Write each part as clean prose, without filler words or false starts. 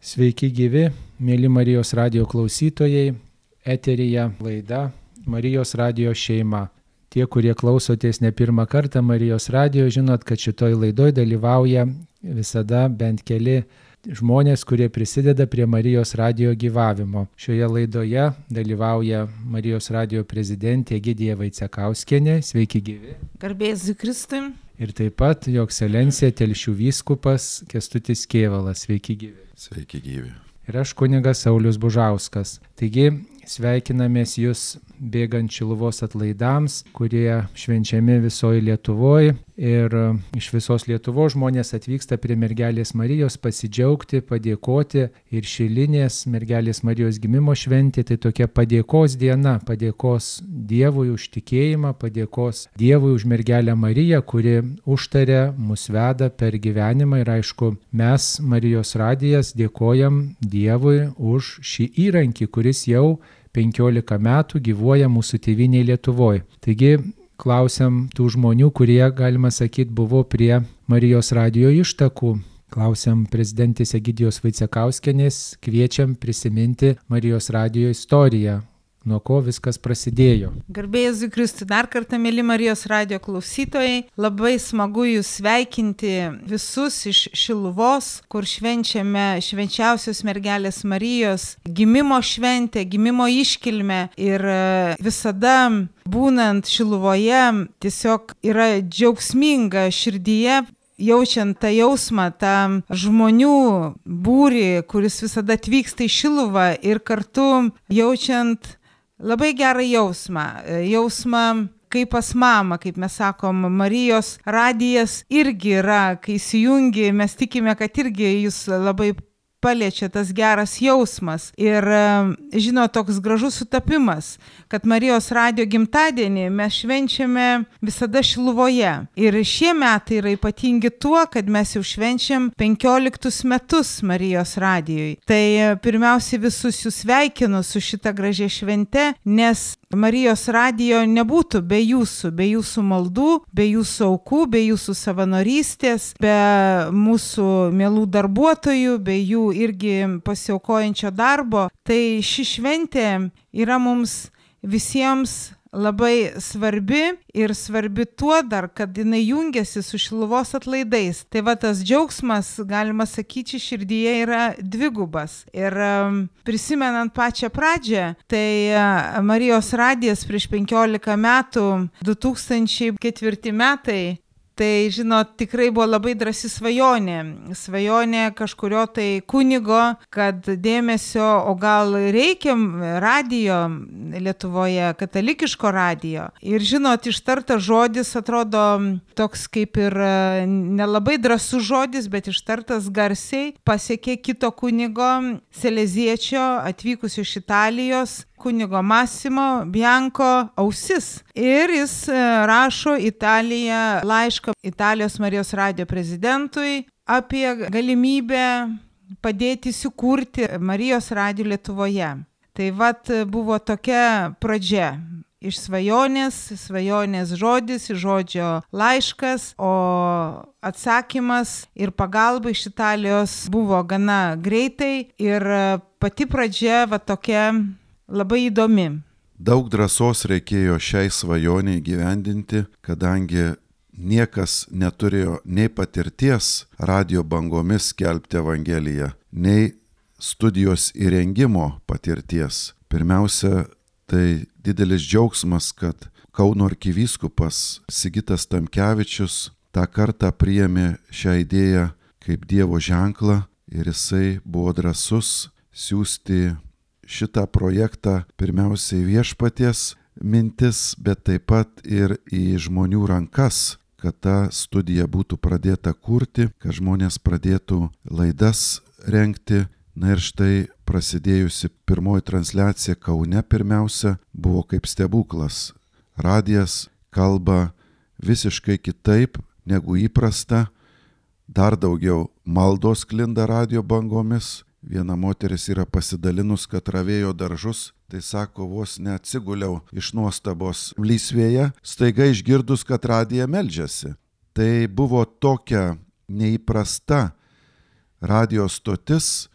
Sveiki gyvi, mėly Marijos radijo klausytojai, eteryje laida Marijos radijo šeima. Tie, kurie klausotės ne pirmą kartą Marijos radijo, žinot, kad šitoj laidoj dalyvauja visada bent keli žmonės, kurie prisideda prie Marijos radijo gyvavimo. Šioje laidoje dalyvauja Marijos radijo prezidentė Egidija Vaicekauskienė. Sveiki gyvi. Garbės Kristui. Ir taip pat jo ekscelencija Telšių vyskupas Kęstutis Kėvalas. Sveiki gyvi. Sveiki gyvi. Ir aš kunigas Saulius Bužauskas. Taigi sveikinamės jūs bėgant Šiluvos atlaidams, kurie švenčiami visoje Lietuvoje. Ir iš visos Lietuvos žmonės atvyksta prie Mergelės Marijos pasidžiaugti, padėkoti. Ir šilinės Mergelės Marijos gimimo šventė tai tokia padėkos diena, padėkos Dievui už tikėjimą, padėkos Dievui už Mergelę Mariją, kuri užtaria, mus veda per gyvenimą. Ir aišku, mes, Marijos radijas, dėkojam Dievui už šį įrankį, kuris jau 15 metų gyvuoja mūsų tėvynėje Lietuvoje. Taigi klausiam tų žmonių, kurie, galima sakyti, buvo prie Marijos radijo ištakų. Klausiam prezidentės Egidijos Vaicekauskienės, kviečiam prisiminti Marijos radijo istoriją. Nuo ko viskas prasidėjo. Garbės Kristui, dar kartą, mėly Marijos radijo klausytojai, labai smagu jūs sveikinti visus iš Šiluvos, kur švenčiame švenčiausios Mergelės Marijos gimimo šventę, gimimo iškilmę. Ir visada būnant Šiluvoje tiesiog yra džiaugsminga širdyje, jaučiant tą jausmą, tą žmonių būrį, kuris visada atvyksta į Šiluvą, ir kartu jaučiant labai gerą jausmą kaip pas mamą, kaip mes sakom, Marijos radijas irgi yra, kai įsijungi, mes tikime, kad irgi jūs labai paliečia tas geras jausmas. Ir toks gražus sutapimas, kad Marijos radijo gimtadienį mes švenčiame visada Šiluvoje. Ir šie metai yra ypatingi tuo, kad mes jau švenčiam 15 metus Marijos radijoj. Tai pirmiausiai visus jūs sveikinu su šita gražia švente, nes Marijos radijo nebūtų be jūsų maldų, be jūsų aukų, be jūsų savanorystės, be mūsų mielų darbuotojų, be jų irgi pasiaukojančio darbo. Tai ši šventė yra mums visiems labai svarbi ir svarbi tuo dar, kad jinai jungiasi su Šiluvos atlaidais. Tai va tas džiaugsmas, galima sakyti, širdyje yra dvigubas. Ir prisimenant pačią pradžią, tai Marijos radijas prieš 15 metų, 2004 metai, tai, tikrai buvo labai drąsi svajonė. Svajonė kažkurio tai kunigo, kad dėmesio, o gal reikia radijo Lietuvoje, katalikiško radijo. Ir ištartas žodis atrodo toks kaip ir nelabai drąsus žodis, bet ištartas garsiai pasiekė kito kunigo, seleziečio, atvykusio iš Italijos, kunigo Massimo Bianco ausis. Ir jis rašo laišką Italijos Marijos radijo prezidentui apie galimybę padėti įsikurti Marijos radijo Lietuvoje. Tai buvo tokia pradžia. Iš svajonės žodis, iš žodžio laiškas, o atsakymas ir pagalba iš Italijos buvo gana greitai ir pati pradžia tokia labai įdomi. Daug drąsos reikėjo šiai svajoniai įgyvendinti, kadangi niekas neturėjo nei patirties radijo bangomis skelbti Evangeliją, nei studijos įrengimo patirties. Pirmiausia, tai didelis džiaugsmas, kad Kauno arkivyskupas Sigitas Tamkevičius tą kartą priėmė šią idėją kaip Dievo ženklą ir jisai buvo drąsus siųsti šitą projektą pirmiausiai viešpaties mintis, bet taip pat ir į žmonių rankas, kad ta studija būtų pradėta kurti, kad žmonės pradėtų laidas rengti. Na ir štai prasidėjusi pirmoji transliacija Kaune pirmiausia buvo kaip stebuklas. Radijas kalba visiškai kitaip negu įprasta, dar daugiau maldos sklinda radijo bangomis. Viena moteris yra pasidalinus, kad ravėjo daržus, tai sako, vos neatsiguliau iš nuostabos lysvėje, staiga išgirdus, kad radija meldžiasi. Tai buvo tokia neįprasta radijo stotis,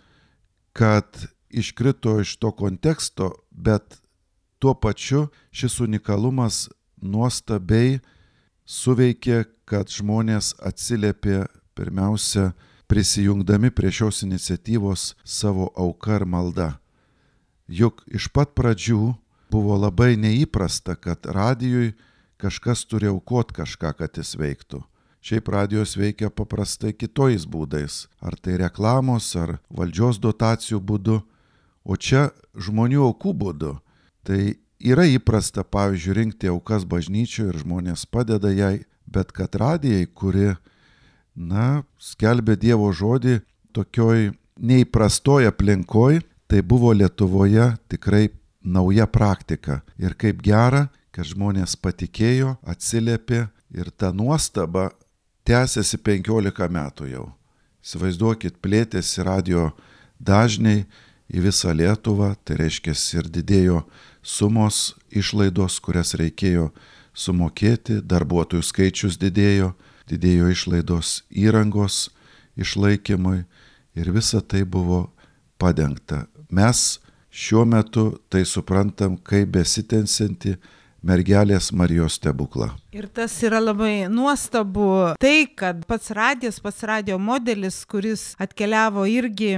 kad iškrito iš to konteksto, bet tuo pačiu šis unikalumas nuostabiai suveikė, kad žmonės atsiliepė pirmiausia prisijungdami prie šios iniciatyvos savo auka ir malda. Juk iš pat pradžių buvo labai neįprasta, kad radijui kažkas turi aukoti kažką, kad jis veiktų. Šiaip radijos veikia paprastai kitojais būdais, ar tai reklamos, ar valdžios dotacijų būdu, o čia žmonių aukų būdu. Tai yra įprasta, pavyzdžiui, rinkti aukas bažnyčioje ir žmonės padeda jai, bet kad radijai, kuri, skelbė Dievo žodį tokioj neįprastoj aplinkoj, tai buvo Lietuvoje tikrai nauja praktika. Ir kaip gera, kad žmonės patikėjo, atsiliepė ir ta nuostaba tęsiasi 15 metų jau. Įsivaizduokit, plėtėsi radio dažniai į visą Lietuvą, tai reiškia ir didėjo sumos, išlaidos, kurias reikėjo sumokėti, darbuotojų skaičius didėjo išlaidos įrangos išlaikymui ir visa tai buvo padengta. Mes šiuo metu tai suprantam kaip besitęsiantį mergelės Marijos stebuklą. Ir tas yra labai nuostabu, tai, kad pats radio modelis, kuris atkeliavo irgi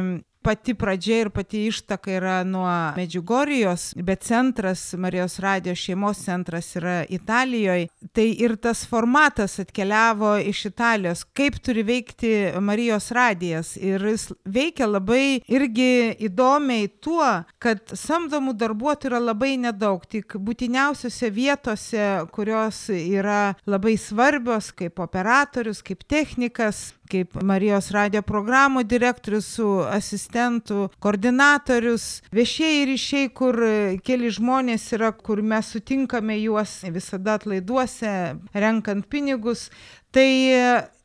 pati pradžia ir pati ištaka yra nuo Medžiugorijos, bet centras, Marijos radijo šeimos centras yra Italijoje. Tai ir tas formatas atkeliavo iš Italijos, kaip turi veikti Marijos radijas. Ir jis veikia labai irgi įdomiai tuo, kad samdomų darbuotojų yra labai nedaug, tik būtiniausiose vietose, kurios yra labai svarbios, kaip operatorius, kaip technikas, kaip Marijos radijo programų direktorius su asistentu, koordinatorius, viešieji ryšiai, kur keli žmonės yra, kur mes sutinkame juos visada atlaiduose, renkant pinigus. Tai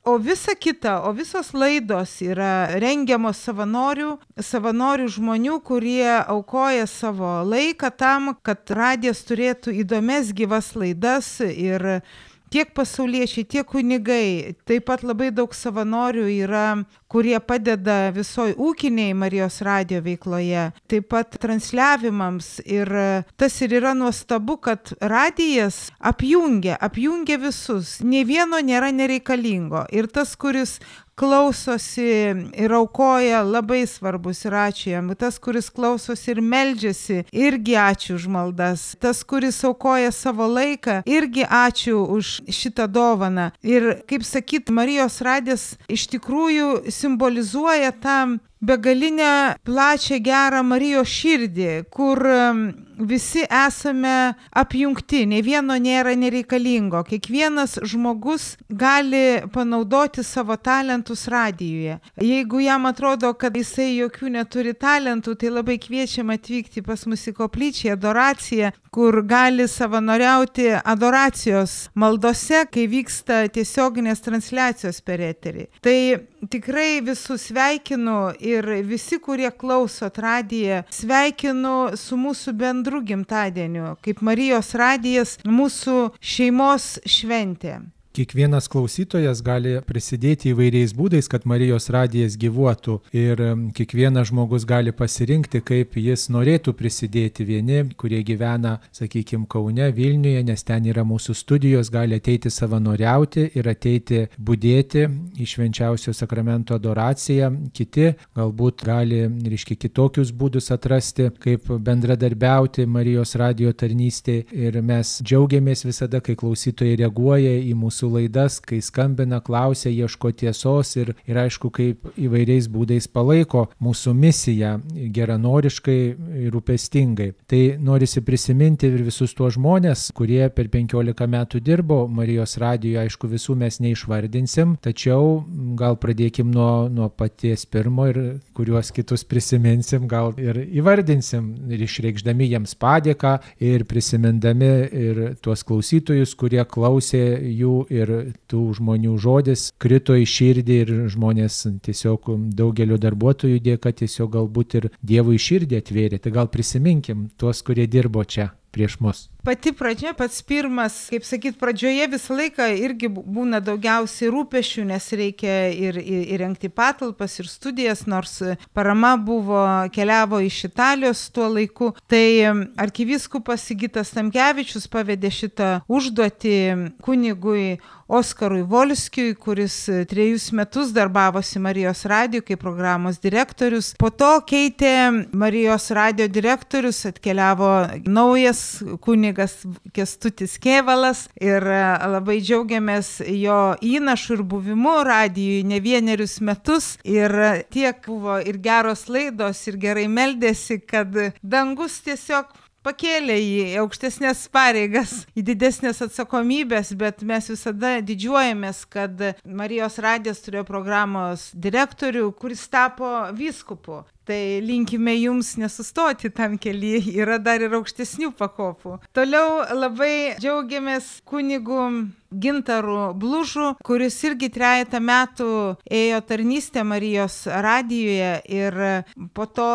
o visa kita, o visos laidos yra rengiamos savanorių žmonių, kurie aukoja savo laiką tam, kad radijas turėtų įdomias gyvas laidas ir tiek pasauliečiai, tiek kunigai, taip pat labai daug savanorių yra, kurie padeda visoj ūkiniai Marijos radijo veikloje, taip pat transliavimams. Ir tas ir yra nuostabu, kad radijas apjungia visus, nė vieno nėra nereikalingo. Ir tas, kuris klausosi ir aukoja, labai svarbus ir ačiū jam. Tas, kuris klausosi ir meldžiasi, irgi ačiū už maldas. Tas, kuris aukoja savo laiką, irgi ačiū už šitą dovaną. Ir, kaip sakyt, Marijos radijas iš tikrųjų simbolizuoja tą begalinę, plačią, gerą Marijos širdį, kur visi esame apjungti, nei vieno nėra nereikalingo. Kiekvienas žmogus gali panaudoti savo talentus radijuje. Jeigu jam atrodo, kad jisai jokių neturi talentų, tai labai kviečiam atvykti pas mus į koplyčią, adoraciją, kur gali savanoriauti adoracijos maldose, kai vyksta tiesioginės transliacijos per eterį. Tai tikrai visus sveikinu ir visi, kurie klausot radiją, sveikinu su mūsų bendru gimtadieniu, kaip Marijos radijas, mūsų šeimos šventė. Kiekvienas klausytojas gali prisidėti įvairiais būdais, kad Marijos radijas gyvuotų, ir kiekvienas žmogus gali pasirinkti, kaip jis norėtų prisidėti. Vieni, kurie gyvena, sakykime, Kaune, Vilniuje, nes ten yra mūsų studijos, gali ateiti savanoriauti ir ateiti budėti į švenčiausio sakramento adoraciją. Kiti galbūt gali, kitokius būdus atrasti, kaip bendradarbiauti Marijos radijo tarnystėje. Ir mes džiaugiamės visada, kai klausytojai reaguoja į mūsų laidas, kai skambina, klausia, ieško tiesos ir aišku, kaip įvairiais būdais palaiko mūsų misiją geranoriškai ir rūpestingai. Tai norisi prisiminti ir visus tuos žmonės, kurie per 15 metų dirbo Marijos radijoje. Aišku, visų mes neišvardinsim, tačiau gal pradėkim nuo paties pirmo ir kuriuos kitus prisiminsim, gal ir įvardinsim, ir išreikšdami jiems padėką ir prisimindami ir tuos klausytojus, kurie klausė jų, ir tų žmonių žodis krito į širdį ir žmonės tiesiog daugelio darbuotojų dėka tiesiog galbūt ir Dievui širdį atvėrė. Tai gal prisiminkim tuos, kurie dirbo čia. prieš mus? Pati pradžia, pats pirmas, kaip sakyt, pradžioje visą laiką irgi būna daugiausiai rūpešių, nes reikia ir įrengti patalpas, ir studijas, nors parama keliavo iš Italijos tuo laiku. Tai arkivyskupas Sigitas Tamkevičius pavedė šitą užduotį kunigui Oskarui Volskiui, kuris 3 metus darbavosi Marijos radijo kaip programos direktorius. Po to keitė Marijos radijo direktorius, atkeliavo naujas kunigas Kęstutis Kėvalas ir labai džiaugiamės jo įnašu ir buvimu radijui ne vienerius metus. Ir tiek buvo ir geros laidos, ir gerai meldėsi, kad dangus tiesiog pakėlė į aukštesnės pareigas, į didesnės atsakomybės, bet mes visada didžiuojamės, kad Marijos radijas turėjo programos direktorių, kuris tapo vyskupu. Tai linkime jums nesustoti tam kelyje, yra dar ir aukštesnių pakopų. Toliau labai džiaugiamės kunigu Gintaru Blužu, kuris irgi 3 metų ėjo tarnystę Marijos radijoje ir po to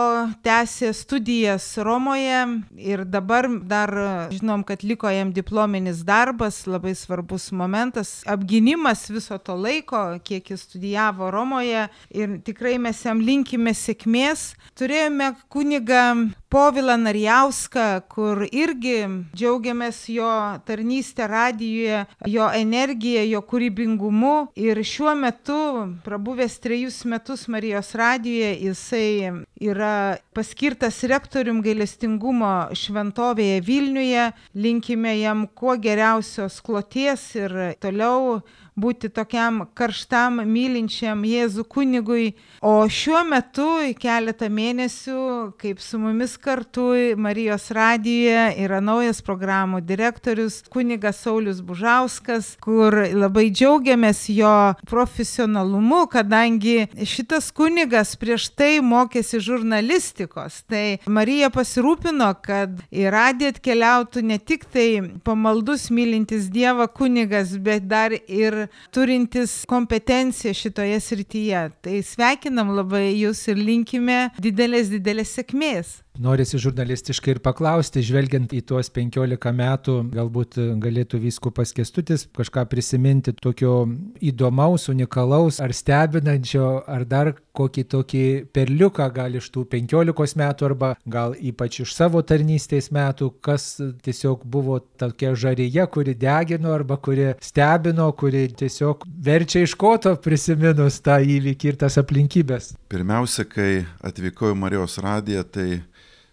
tęsė studijas Romoje ir dabar dar žinom, kad liko jam diplominis darbas, labai svarbus momentas, apgynimas viso to laiko, kiek jis studijavo Romoje ir tikrai mes jam linkime sėkmės. Turėjome kunigą Povilą Narjauską, kur irgi džiaugiamės jo tarnystę radijoje, jo energiją, jo kūrybingumu ir šiuo metu, prabuvęs 3 metus Marijos radijoje, jisai yra paskirtas rektorium gailestingumo šventovėje Vilniuje. Linkime jam kuo geriausios kloties ir toliau būti tokiam karštam, mylinčiam Jėzų kunigui. O šiuo metu keletą mėnesių, kaip su mumis kartu Marijos radijoje, yra naujas programų direktorius kunigas Saulius Bužauskas, kur labai džiaugiamės jo profesionalumu, kadangi šitas kunigas prieš tai mokėsi žurnalistikos. Tai Marija pasirūpino, kad į radiją atkeliautų ne tik tai pamaldus mylintis Dievą kunigas, bet dar ir turintis kompetenciją šitoje srityje. Tai sveikinam labai jūs ir linkime didelės sėkmės. Norisi žurnalistiškai ir paklausti, žvelgiant į tuos 15 metų, galbūt galėtų vyskupas Kęstutis kažką prisiminti tokio įdomaus, unikalaus, ar stebinančio, ar dar kokį tokį perliuką gal iš tų 15 metų, arba gal ypač iš savo tarnystės metų, kas tiesiog buvo tokia žarija, kuri degino, arba kuri stebino, kuri tiesiog verčia iš koto prisiminus tą įvykį ir tas aplinkybės. Pirmiausia, kai atvykau į Marijos radiją, tai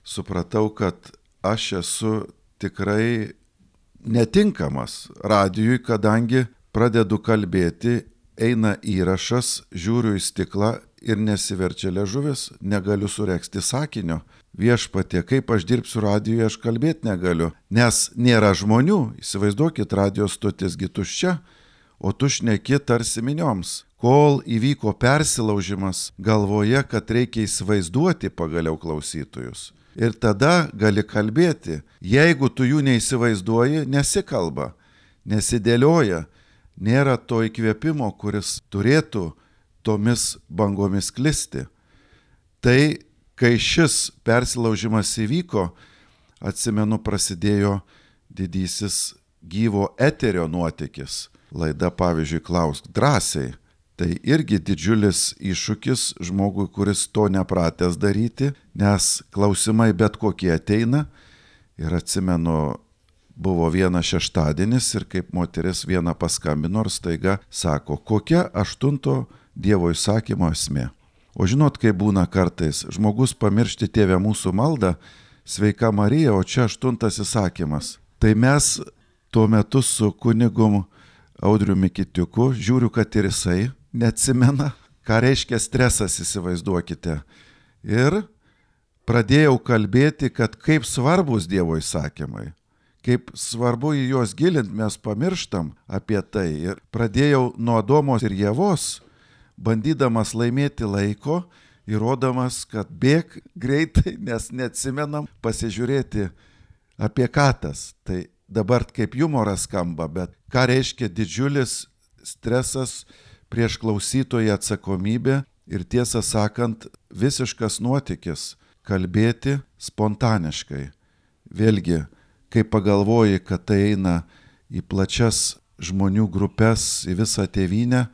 supratau, kad aš esu tikrai netinkamas radijui, kadangi pradedu kalbėti, eina įrašas, žiūriu į stiklą ir nesiverčia liežuvis, negaliu suregzti sakinio. Viešpatie, kaip aš dirbsiu radijuje, aš kalbėti negaliu, nes nėra žmonių. Įsivaizduokit, radijos stotisgi tuščia, o tu šneki tarsi minioms. Kol įvyko persilaužimas galvoje, kad reikia įsivaizduoti pagaliau klausytojus. Ir tada gali kalbėti. Jeigu tu jų neįsivaizduoji, nesikalba, nesidėlioja, nėra to įkvėpimo, kuris turėtų tomis bangomis klisti. Tai, kai šis persilaužimas įvyko, atsimenu, prasidėjo didysis gyvo eterio nuotykis. Laida, pavyzdžiui, Klausk drąsiai. Tai irgi didžiulis iššūkis žmogui, kuris to nepratęs daryti, nes klausimai bet kokie ateina. Ir atsimenu, buvo vienas šeštadienis ir kaip moteris vieną paskambino ir staiga sako, kokia 8 Dievo įsakymo esmė. O žinot, kaip būna kartais, žmogus pamiršti Tėve mūsų maldą, sveika Marija, o čia 8 įsakymas. Tai mes tuo metu su kunigum Audriumi Kitiuku, žiūriu, kad ir jisai neatsimena, ką reiškia stresas, įsivaizduokite. Ir pradėjau kalbėti, kad kaip svarbus Dievo įsakymai, kaip svarbu į juos gilinti, mes pamirštam apie tai. Ir pradėjau nuo Adomos ir Ievos, bandydamas laimėti laiko, įrodamas, kad bėk greitai, nes neatsimenam, pasižiūrėti apie ką tas. Tai dabar kaip jumoras skamba, bet ką reiškia didžiulis stresas, prieš klausytoją atsakomybė ir tiesą sakant visiškas nuotykis kalbėti spontaniškai. Vėlgi, kai pagalvoji, kad tai eina į plačias žmonių grupės, į visą tėvynę,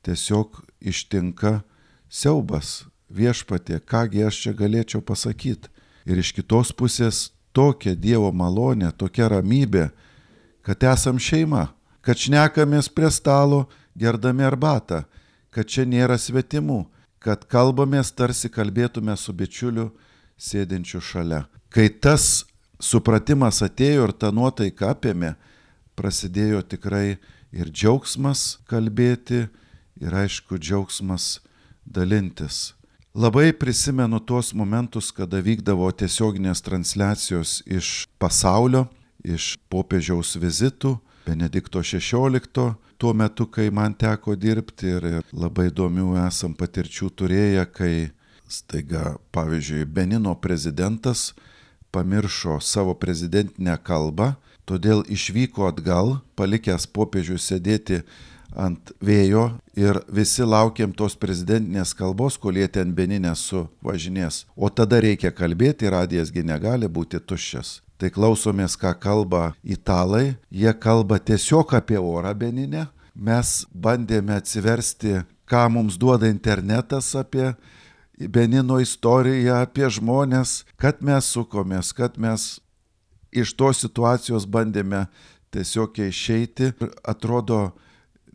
tiesiog ištinka siaubas. Viešpatie, kągi aš čia galėčiau pasakyti. Ir iš kitos pusės tokia Dievo malonė, tokia ramybė, kad esam šeima, kad šnekamės prie stalo, gerdami arbatą, kad čia nėra svetimų, kad kalbamės tarsi kalbėtume su bičiuliu sėdinčiu šalia. Kai tas supratimas atėjo ir ta nuotaika apėmė, prasidėjo tikrai ir džiaugsmas kalbėti, ir aišku džiaugsmas dalintis. Labai prisimenu tuos momentus, kada vykdavo tiesioginės transliacijos iš pasaulio, iš popiežiaus vizitų, Benedikto XVI, tuo metu, kai man teko dirbti ir labai įdomių esam patirčių turėję, kai staiga, pavyzdžiui, Benino prezidentas pamiršo savo prezidentinę kalbą, todėl išvyko atgal, palikęs popiežių sėdėti ant vėjo ir visi laukiam tos prezidentinės kalbos, kol jie ten Benine suvažinės. O tada reikia kalbėti, radijasgi negali būti tuščias. Tai klausomės, ką kalba italai, jie kalba tiesiog apie orą Benine. Mes bandėme atsiversti, ką mums duoda internetas apie Benino istoriją, apie žmonės, kad mes sukomės, kad mes iš tos situacijos bandėme tiesiog išeiti. Atrodo,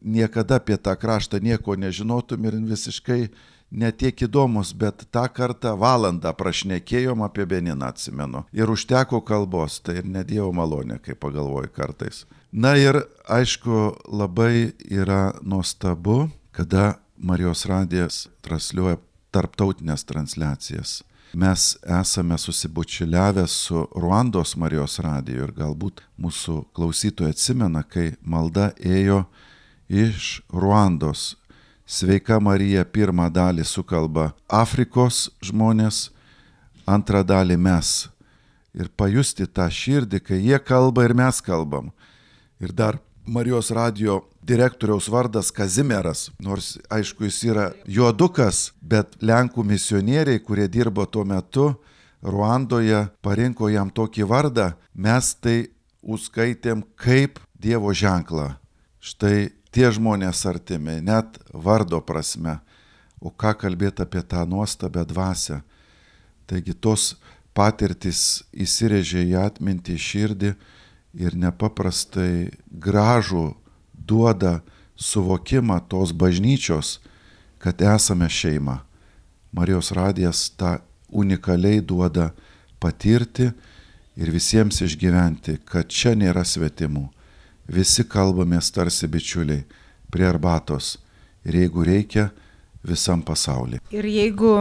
niekada apie tą kraštą nieko nežinotum ir visiškai netiek įdomus, bet tą kartą valandą prašnekėjom apie Beniną, atsimenu. Ir užteko kalbos, tai ir ne Dievo malonė, kai pagalvoju kartais. Na ir aišku, labai yra nuostabu, kada Marijos radijas transliuoja tarptautinės transliacijas. Mes esame susibučiuliavę su Ruandos Marijos radiju ir galbūt mūsų klausytojai atsimena, kai malda ėjo iš Ruandos. Sveika Marija pirmą dalį sukalba Afrikos žmonės, antrą dalį mes. Ir pajusti tą širdį, kai jie kalba ir mes kalbam. Ir dar Marijos radijo direktoriaus vardas Kazimieras, nors aišku jis yra juodukas, bet Lenkų misionieriai, kurie dirbo tuo metu Ruandoje, parinko jam tokį vardą, mes tai užskaitėm kaip Dievo ženklą. Štai tie žmonės artimi, net vardo prasme, o ką kalbėti apie tą nuostabę dvasią. Taigi tos patirtys įsirėžė į atmintį, širdį ir nepaprastai gražų duoda suvokimą tos bažnyčios, kad esame šeima. Marijos radijas tą unikaliai duoda patirti ir visiems išgyventi, kad čia nėra svetimų. Visi kalbamės tarsi bičiuliai prie arbatos ir jeigu reikia, visam pasaulyje. Ir jeigu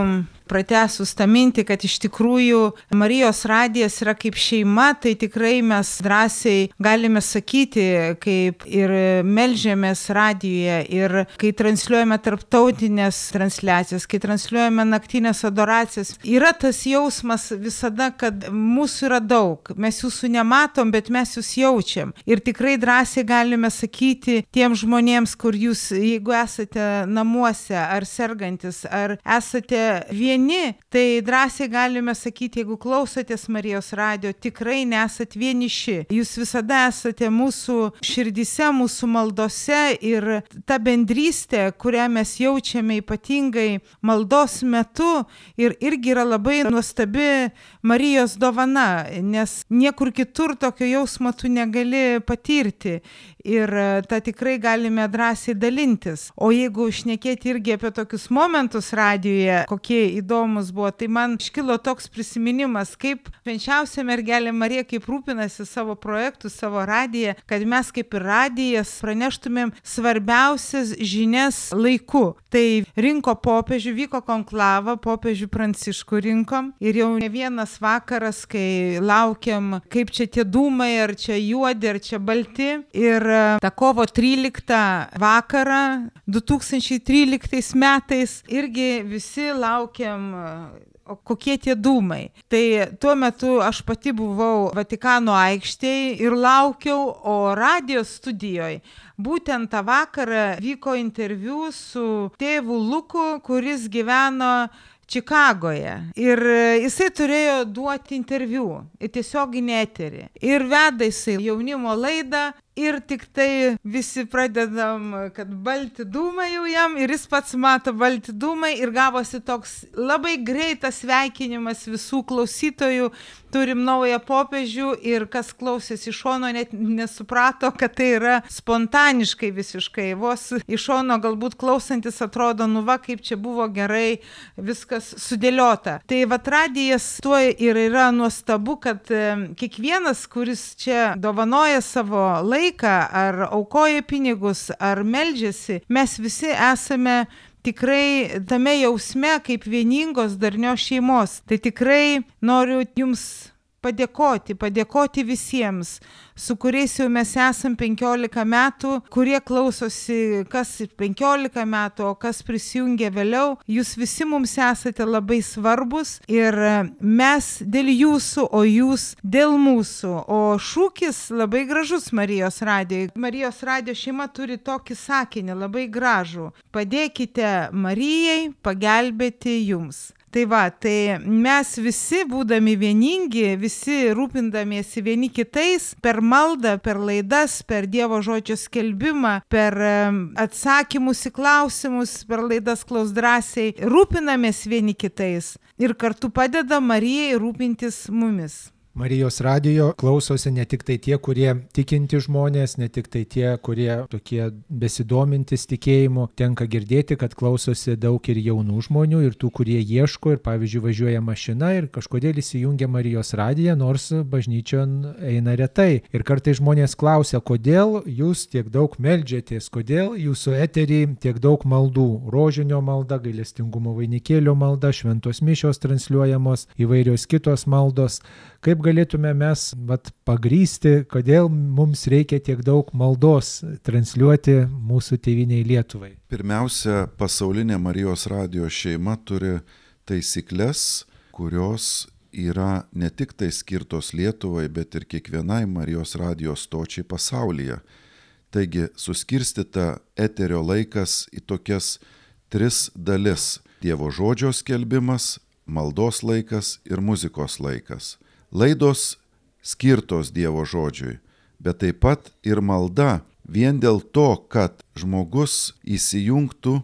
pratęsus tą mintį, kad iš tikrųjų Marijos radijas yra kaip šeima, tai tikrai mes drąsiai galime sakyti, kaip ir melžiamės radijuje, ir kai transliuojame tarptautinės transliacijas, kai transliuojame naktinės adoracijas, yra tas jausmas visada, kad mūsų yra daug. Mes jūsų nematom, bet mes jūs jaučiam. Ir tikrai drąsiai galime sakyti tiem žmonėms, kur jūs, jeigu esate namuose, ar sergantis, ar esate vieni, tai drąsiai galime sakyti, jeigu klausotės Marijos radijo, tikrai nesat vieniši. Jūs visada esate mūsų širdise, mūsų maldose ir ta bendrystė, kurią mes jaučiame ypatingai maldos metu ir irgi yra labai nuostabi Marijos dovana, nes niekur kitur tokio jausmo tu negali patirti. Ir tą tikrai galime drąsiai dalintis. O jeigu šnekėti irgi apie tokius momentus radijoje, kokie įdomus buvo, tai man iškilo toks prisiminimas, kaip švenčiausia mergelė Marija, kaip rūpinasi savo projektų, savo radiją, kad mes kaip ir radijas praneštumėm svarbiausias žinias laiku. Tai rinko popiežių, vyko konklava, popiežių Pranciškų rinkom ir jau ne vienas vakaras, kai laukiam, kaip čia tie dūmai, ar čia juodi, ar čia balti. Ir tą kovo 13 vakarą 2013 metais irgi visi laukiam, o kokie tie dūmai. Tai tuo metu aš pati buvau Vatikano aikštėje ir laukiau, o radijos studijoje būtent tą vakarą vyko interviu su tėvu Luku, kuris gyveno Čikagoje. Ir jisai turėjo duoti interviu į tiesioginį eterį. Ir veda jisai jaunimo laidą. Ir tik tai visi pradedam, kad balti dūmai jau jam, ir jis pats mato balti dūmai, ir gavosi toks labai greitas sveikinimas visų klausytojų. Turim naują popiežių, ir kas klausėsi iš šono net nesuprato, kad tai yra spontaniškai visiškai. Vos iš šono galbūt klausantis atrodo, nu va, kaip čia buvo gerai viskas sudėliota. Tai vat radijas tuo ir yra nuostabu, kad kiekvienas, kuris čia dovanoja savo laiką, ar aukoja pinigus, ar meldžiasi, mes visi esame tikrai tame jausme kaip vieningos darnios šeimos. Tai tikrai noriu jums padėkoti visiems, su kuriais jau mes esam 15 metų, kurie klausosi, kas 15 metų, o kas prisijungia vėliau. Jūs visi mums esate labai svarbus ir mes dėl jūsų, o jūs dėl mūsų. O šūkis labai gražus Marijos radijo. Marijos radijo šeima turi tokį sakinį, labai gražų. Padėkite Marijai pagelbėti jums. Tai va, tai mes visi būdami vieningi, visi rūpindamiesi vieni kitais, per maldą, per laidas, per Dievo žodžio skelbimą, per atsakymus į klausimus, per laidas Klaus drąsiai, rūpinamės vieni kitais ir kartu padeda Marijai rūpintis mumis. Marijos radijo klausosi ne tik tai tie, kurie tikinti žmonės, ne tik tai tie, kurie tokie besidomintis tikėjimu. Tenka girdėti, kad klausosi daug ir jaunų žmonių, ir tų, kurie ieško, ir pavyzdžiui važiuoja mašina ir kažkodėl įsijungia Marijos radiją, nors bažnyčion eina retai. Ir kartais žmonės klausia, kodėl jūs tiek daug meldžiatės, kodėl jūsų eterį tiek daug maldų. Rožinio malda, gailestingumo vainikėlio malda, šventos mišios transliuojamos, įvairios kitos maldos. Kaip galėtume mes pagrįsti, kodėl mums reikia tiek daug maldos transliuoti mūsų tėvynei Lietuvai? Pirmiausia, pasaulinė Marijos radijo šeima turi taisyklės, kurios yra ne tik tai skirtos Lietuvai, bet ir kiekvienai Marijos radijo stočiai pasaulyje. Taigi suskirstyta eterio laikas į tokias 3 dalis: Dievo žodžio skelbimas, maldos laikas ir muzikos laikas. Laidos skirtos Dievo žodžiui, bet taip pat ir malda, vien dėl to, kad žmogus įsijungtų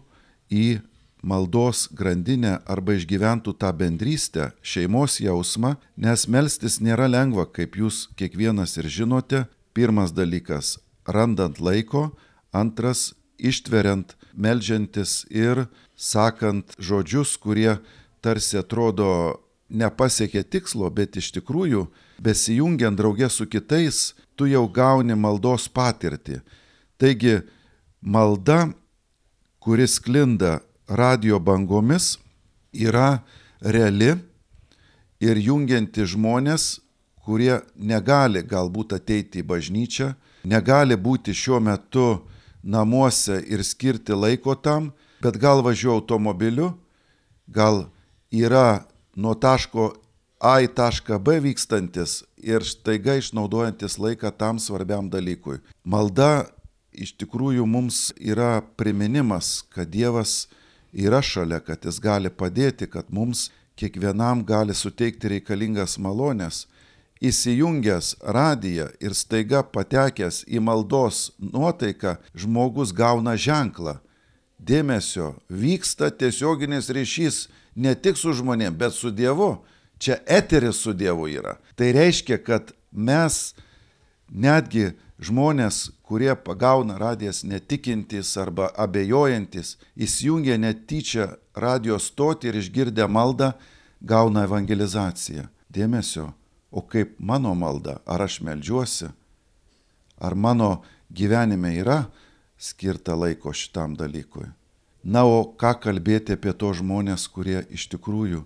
į maldos grandinę arba išgyventų tą bendrystę, šeimos jausmą, nes melstis nėra lengva, kaip jūs kiekvienas ir žinote. Pirmas dalykas – randant laiko, antras – ištveriant, meldžiantis ir sakant žodžius, kurie tarsi atrodo nepasiekė tikslo, bet iš tikrųjų, besijungiant drauge su kitais, tu jau gauni maldos patirtį. Taigi, malda, kuris sklinda radijo bangomis, yra reali ir jungianti žmonės, kurie negali galbūt ateiti į bažnyčią, negali būti šiuo metu namuose ir skirti laiko tam, bet gal važiuoja automobiliu, gal yra nuo taško A į tašką B vykstantis ir staiga išnaudojantis laiką tam svarbiam dalykui. Malda iš tikrųjų mums yra priminimas, kad Dievas yra šalia, kad Jis gali padėti, kad mums kiekvienam gali suteikti reikalingas malonės. Įsijungęs radiją ir staiga patekęs į maldos nuotaiką, žmogus gauna ženklą. Dėmesio, vyksta tiesioginis ryšys ne tik su žmonėm, bet su Dievu. Čia eteris su Dievu yra. Tai reiškia, kad mes, netgi žmonės, kurie pagauna radijas netikintys arba abejojantis, įsijungia netyčia radijo stotį ir išgirdę maldą, gauna evangelizaciją. Dėmesio, o kaip mano malda, ar aš meldžiuosi, ar mano gyvenime yra skirta laiko šitam dalykui. Na, o ką kalbėti apie to žmonės, kurie iš tikrųjų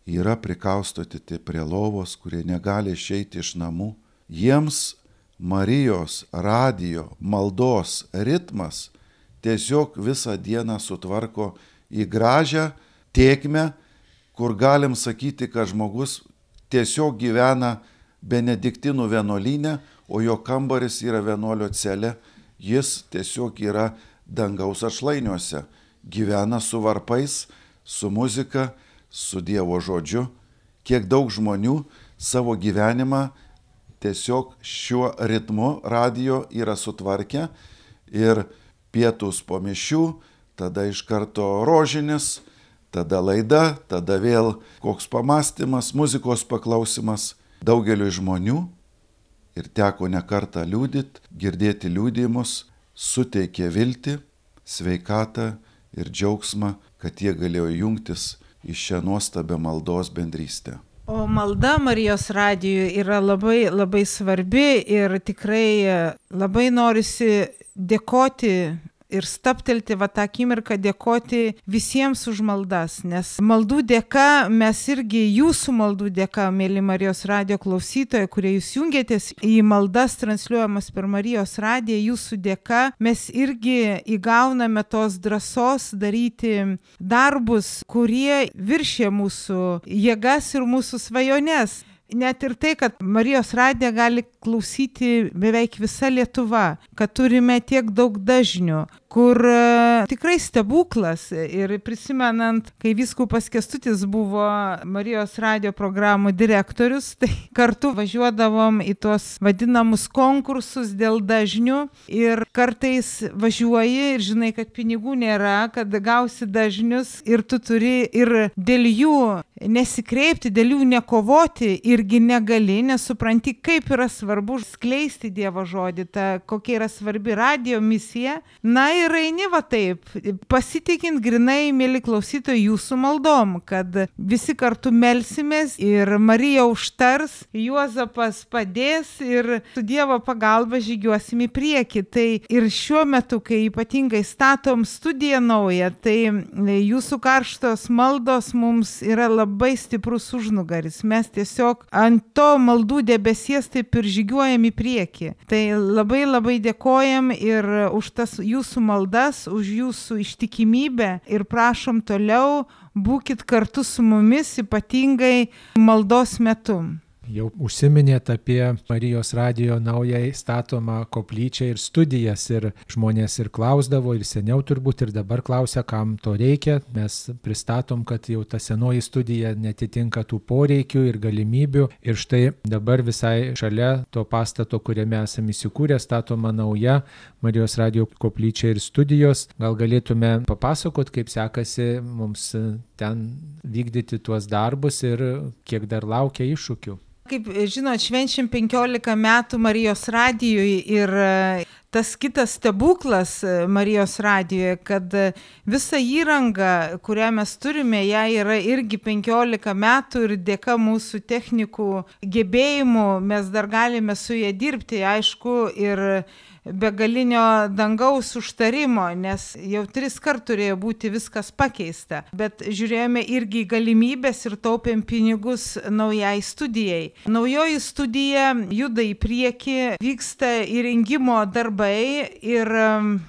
yra prikaustoti prie lovos, kurie negali išeiti iš namų. Jiems Marijos radijo maldos ritmas tiesiog visą dieną sutvarko į gražią tėkmę, kur galim sakyti, kad žmogus tiesiog gyvena benediktinų vienuolyne, o jo kambaris yra vienuolio celė. Jis tiesiog yra dangaus atšlainiuose, gyvena su varpais, su muzika, su Dievo žodžiu. Kiek daug žmonių savo gyvenimą tiesiog šiuo ritmu radijo yra sutvarkę ir pietus po mišių, tada iš karto rožinis, tada laida, tada vėl koks pamąstymas, muzikos paklausimas. Daugeliu žmonių, ir teko ne kartą liudyti, girdėti liudijimus, suteikė viltį, sveikatą ir džiaugsmą, kad jie galėjo jungtis į šią nuostabią maldos bendrystę. O malda Marijos radijui yra labai, labai svarbi ir tikrai labai norisi dėkoti ir staptelti tą akimirką, dėkoti visiems už maldas, nes maldų dėka, mes irgi jūsų maldų dėka, mėly Marijos radijo klausytojai, kurie jūs jungiatės į maldas transliuojamas per Marijos radiją, jūsų dėka mes irgi įgauname tos drąsos daryti darbus, kurie viršė mūsų jėgas ir mūsų svajones. Net ir tai, kad Marijos radiją gali klausyti beveik visa Lietuva, kad turime tiek daug dažnių, kur tikrai stebuklas. Ir prisimenant, kai vyskupas Kęstutis buvo Marijos radijo programų direktorius, tai kartu važiuodavom į tuos vadinamus konkursus dėl dažnių ir kartais važiuoji ir žinai, kad pinigų nėra, kad gausi dažnius ir tu turi ir dėl jų nesikreipti, dėl jų nekovoti irgi negali, nesupranti, kaip yra svarbu skleisti Dievo žodį, kokia yra svarbi radijo misija. Na ir eini taip, pasitikint grinai, mėly klausytojai, jūsų maldom, kad visi kartu melsimės ir Marija užtars, Juozapas padės ir su Dievo pagalba žygiuosim į priekį. Tai ir šiuo metu, kai ypatingai statom studiją naują, tai jūsų karštos maldos mums yra labai stiprus užnugaris. Mes tiesiog ant to maldų debesies taip ir žygiuojam į priekį. Tai labai labai dėkojam ir už tas jūsų maldas, už jūsų ištikimybę ir prašom toliau būkit kartu su mumis, ypatingai maldos metu. Jau užsiminėt apie Marijos radijo naujai statomą koplyčią ir studijas ir žmonės ir klausdavo ir seniau turbūt ir dabar klausia, kam to reikia. Mes pristatom, kad jau ta senoji studija netitinka tų poreikių ir galimybių ir štai dabar visai šalia to pastato, kuriame esame įsikūrę, statoma nauja Marijos radijo koplyčia ir studijos. Gal galėtume papasakot, kaip sekasi mums ten vykdyti tuos darbus ir kiek dar laukia iššūkių. Kaip žinot, švenčiam 15 metų Marijos radijui ir tas kitas stebuklas Marijos radijoje, kad visa įranga, kurią mes turime, ją yra irgi 15 metų ir dėka mūsų technikų gebėjimų mes dar galime su ją dirbti, aišku, ir begalinio dangaus užtarimo, nes jau 3 kart turėjo būti viskas pakeista. Bet žiūrėjome irgi galimybės ir taupėm pinigus naujai studijai. Naujoji studija juda į priekį, vyksta įrengimo darbai ir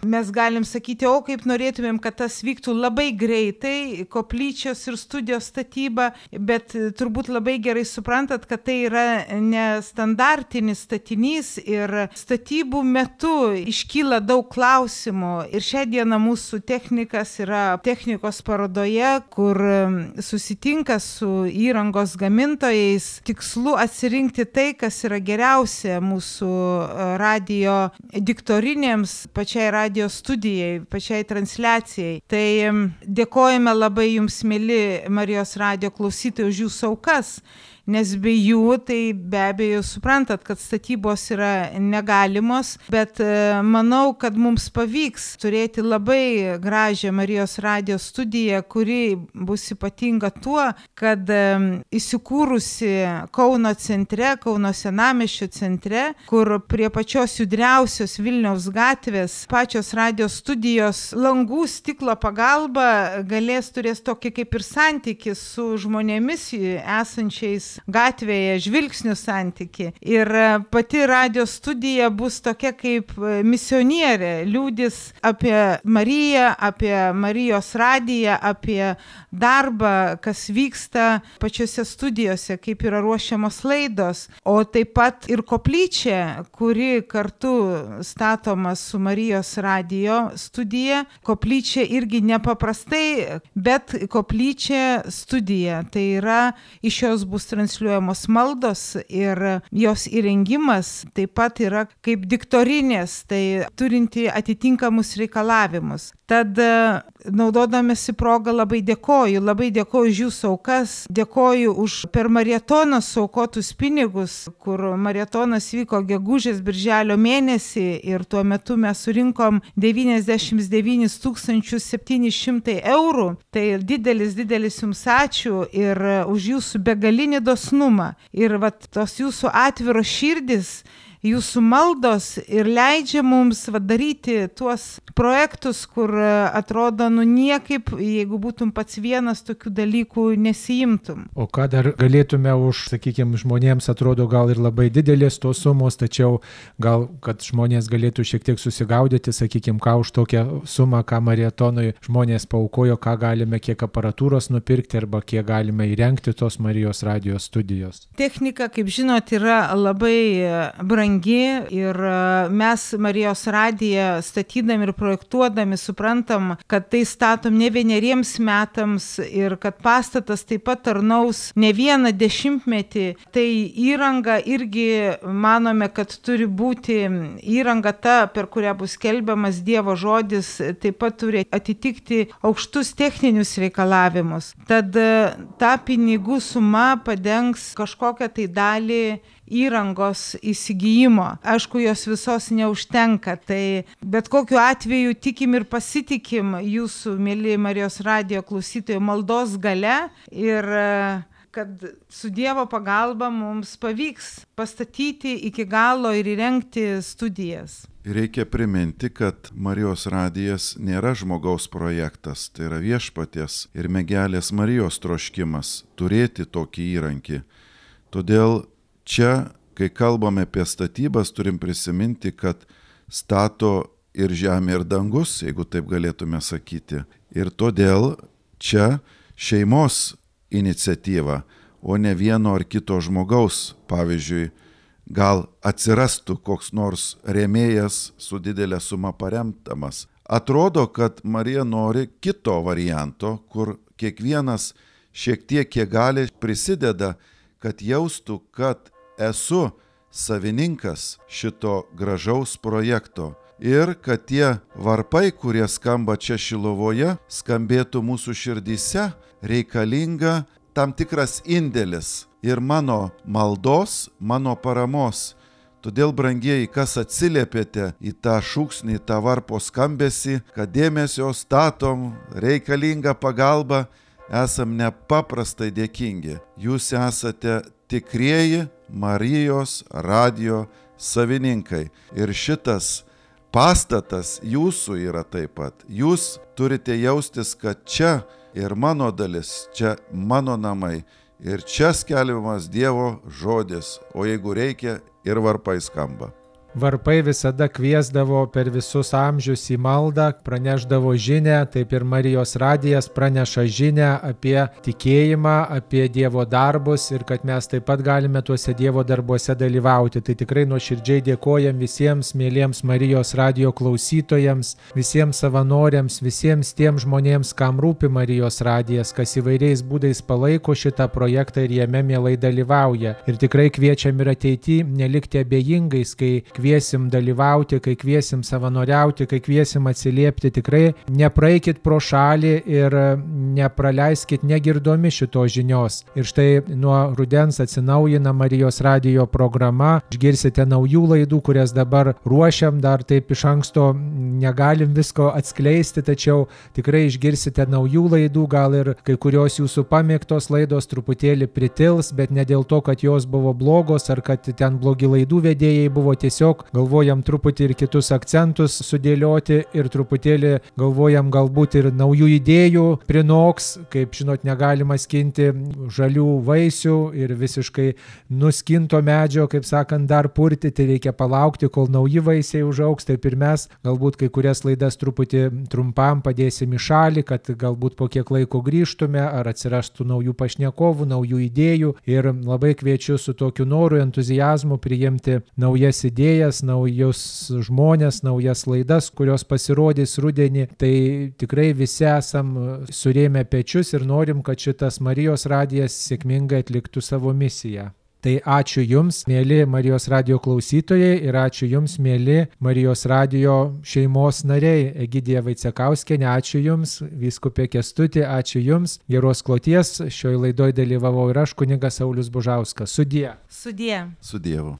mes galim sakyti, o kaip norėtumėm, kad tas vyktų labai greitai, koplyčios ir studijos statyba, bet turbūt labai gerai suprantat, kad tai yra nestandartinis statinys ir statybų metu iškyla daug klausimų ir šią dieną mūsų technikas yra technikos parodoje, kur susitinka su įrangos gamintojais tikslu atsirinkti tai, kas yra geriausia mūsų radijo diktorinėms, pačiai radijo studijai, pačiai transliacijai. Tai dėkojame labai jums, mėly Marijos radijo klausytojai, už jūsų aukas. Nes be jų, tai be abejo suprantat, kad statybos yra negalimos, bet manau, kad mums pavyks turėti labai gražią Marijos radijo studiją, kuri bus ypatinga tuo, kad įsikūrusi Kauno centre, Kauno senamiesčio centre, kur prie pačios judriausios Vilniaus gatvės pačios radijo studijos langų stiklo pagalba turės tokį kaip ir santykį su žmonėmis esančiais gatvėje, žvilgsnių santyki. Ir pati radio studija bus tokia kaip kaip misionierė liūdis apie Mariją, apie Marijos radiją, apie darbą, kas vyksta pačiose studijose, kaip yra ruošiamos laidos, o taip pat ir koplyčia, kuri kartu statoma su Marijos radijo studija. Koplyčia irgi nepaprastai, bet koplyčia studija. Tai yra, iš jos bus transliuojamos maldos ir jos įrengimas taip pat yra kaip diktorinės, tai turinti atitinkamus reikalavimus. Tad naudodamasi progą labai dėkoju už jūsų aukas, dėkoju už per maratoną suaukotus pinigus, kur maratonas vyko gegužės birželio mėnesį ir tuo metu mes surinkom 99 700 eurų. Tai didelis jums ačiū ir už jūsų begalinį dosnumą ir tos jūsų atviros širdis, jūsų maldos ir leidžia mums daryti tuos projektus, kur atrodo, niekaip, jeigu būtum pats vienas, tokių dalykų nesiimtum. O ką dar galėtume sakykime, žmonėms atrodo gal ir labai didelės tos sumos, tačiau gal, kad žmonės galėtų šiek tiek susigaudyti, sakykime, ką už tokią sumą, ką maratonui žmonės paaukojo, ką galime, kiek aparatūros nupirkti arba kiek galime įrengti tos Marijos radijos studijos. Technika, kaip žinot, yra labai brangi ir mes Marijos radiją statydami ir projektuodami suprantam, kad tai statom ne vieneriems metams ir kad pastatas taip pat tarnaus ne vieną dešimtmetį. Tai įranga irgi manome, kad turi būti įranga ta, per kurią bus skelbiamas Dievo žodis, taip pat turi atitikti aukštus techninius reikalavimus. Tad ta pinigų suma padengs kažkokią tai dalį įrangos įsigijimo. Aišku, jos visos neužtenka, tai bet kokiu atveju tikim ir pasitikim jūsų, mėly Marijos radijo klausytojų, maldos gale ir kad su Dievo pagalba mums pavyks pastatyti iki galo ir įrengti studijas. Reikia priminti, kad Marijos radijas nėra žmogaus projektas, tai yra viešpaties ir mergelės Marijos troškimas turėti tokį įrankį. Todėl čia, kai kalbame apie statybas, turim prisiminti, kad stato ir žemė, ir dangus, jeigu taip galėtume sakyti. Ir todėl čia šeimos iniciatyva, o ne vieno ar kito žmogaus. Pavyzdžiui, gal atsirastų koks nors rėmėjas su didelė suma paremtamas. Atrodo, kad Marija nori kito varianto, kur kiekvienas šiek tiek, kiek gali, prisideda, kad jaustų, kad esu savininkas šito gražaus projekto ir kad tie varpai, kurie skamba čia Šiluvoje, skambėtų mūsų širdyse, reikalinga tam tikras indėlis ir mano maldos, mano paramos. Todėl, brangieji, kas atsiliepėte į tą šūksnį, į tą varpo skambesį, kad dėmesio statom, reikalinga pagalba, esam nepaprastai dėkingi. Jūs esate tikrieji Marijos radijo savininkai. Ir šitas pastatas jūsų yra taip pat. Jūs turite jaustis, kad čia ir mano dalis, čia mano namai. Ir čia skelbiamas Dievo žodis, o jeigu reikia, ir varpai skamba. Varpai visada kviesdavo per visus amžius į maldą, praneždavo žinią, taip ir Marijos radijas praneša žinią apie tikėjimą, apie Dievo darbus ir kad mes taip pat galime tuose Dievo darbuose dalyvauti. Tai tikrai nuoširdžiai dėkojam visiems mėliems Marijos radijo klausytojams, visiems savanoriams, visiems tiem žmonėms, kam rūpi Marijos radijas, kas įvairiais būdais palaiko šitą projektą ir jame mielai dalyvauja. Ir tikrai kviečiam ir ateityje nelikti abejingais, kai kviesim dalyvauti, kai kviesim savanoriauti, kai kviesim atsiliepti, tikrai nepraeikit pro šalį ir nepraleiskit negirdomi šitos žinios. Ir štai nuo rudens atsinaujina Marijos radijo programa, išgirsite naujų laidų, kurias dabar ruošiam, dar taip iš anksto negalim visko atskleisti, tačiau tikrai išgirsite naujų laidų, gal ir kai kurios jūsų pamėgtos laidos truputėlį pritils, bet ne dėl to, kad jos buvo blogos ar kad ten blogi laidų vedėjai buvo, tiesiog tiesiog galvojam truputį ir kitus akcentus sudėlioti ir truputėlį galvojam galbūt ir naujų idėjų prinoks, kaip žinot, negalima skinti žalių vaisių ir visiškai nuskinto medžio, kaip sakant, dar purtyti, reikia palaukti, kol nauji vaisiai užaugs, taip ir mes galbūt kai kurias laidas truputį trumpam padėsim į šalį, kad galbūt po kiek laiko grįžtume ar atsirastų naujų pašnekovų, naujų idėjų ir labai kviečiu su tokiu noru, entuziazmu priimti naujas idėjas, naujus žmonės, naujas laidas, kurios pasirodys rudenį. Tai tikrai visi esam surėmę pečius ir norim, kad šitas Marijos radijas sėkmingai atliktų savo misiją. Tai ačiū Jums, mėly Marijos radijo klausytojai, ir ačiū Jums, mėly Marijos radijo šeimos nariai. Egidija Vaicekauskienė, ačiū Jums, vyskupė Kęstutė, ačiū Jums, geros kloties. Šioje laidoje dalyvavau ir aš, kunigas Saulius Bužauskas. Sudie. Sudie. Su Dievu.